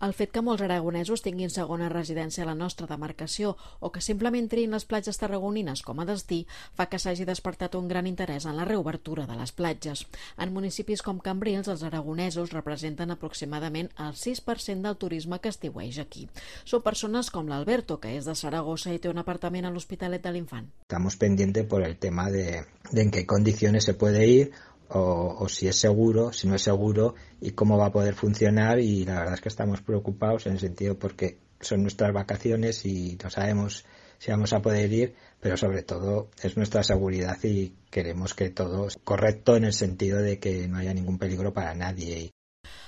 El fet que molts aragonesos tinguin segona residència a la nostra demarcació o que simplement triïn les platges tarragonines com a destí fa que s'hagi despertat un gran interès en la reobertura de les platges. En municipis com Cambrils, els aragonesos representen aproximadament el 6% del turisme que estiueja aquí. Són persones com l'Alberto, que és de Saragossa i té un apartament a l'Hospitalet de l'Infant. Estamos pendientes por el tema de en qué condiciones se puede ir o si es seguro, si no es seguro y cómo va a poder funcionar, y la verdad es que estamos preocupados en el sentido porque son nuestras vacaciones y no sabemos si vamos a poder ir, pero sobre todo es nuestra seguridad y queremos que todo es correcto en el sentido de que no haya ningún peligro para nadie.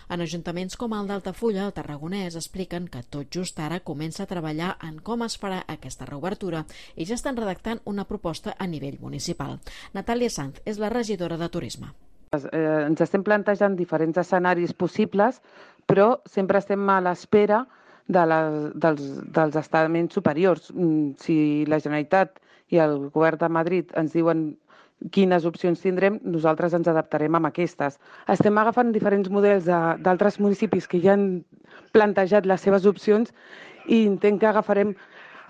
En ajuntaments com el d'Altafulla, el tarragonès, expliquen que tot just ara comença a treballar en com es farà aquesta reobertura i ja estan redactant una proposta a nivell municipal. Natàlia Sanz és la regidora de Turisme. Ens estem plantejant diferents escenaris possibles, però sempre estem a l'espera dels estaments superiors. Si la Generalitat i el Govern de Madrid ens diuen quines opcions tindrem, nosaltres ens adaptarem amb aquestes. Estem agafant diferents models d'altres municipis que ja han plantejat les seves opcions i entenc que agafarem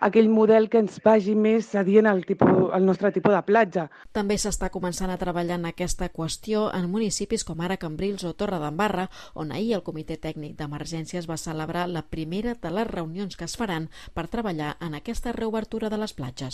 aquell model que ens vagi més adient al nostre tipus de platja. També s'està començant a treballar en aquesta qüestió en municipis com ara Cambrils o Torredembarra, on ahir el Comitè Tècnic d'Emergències va celebrar la primera de les reunions que es faran per treballar en aquesta reobertura de les platges.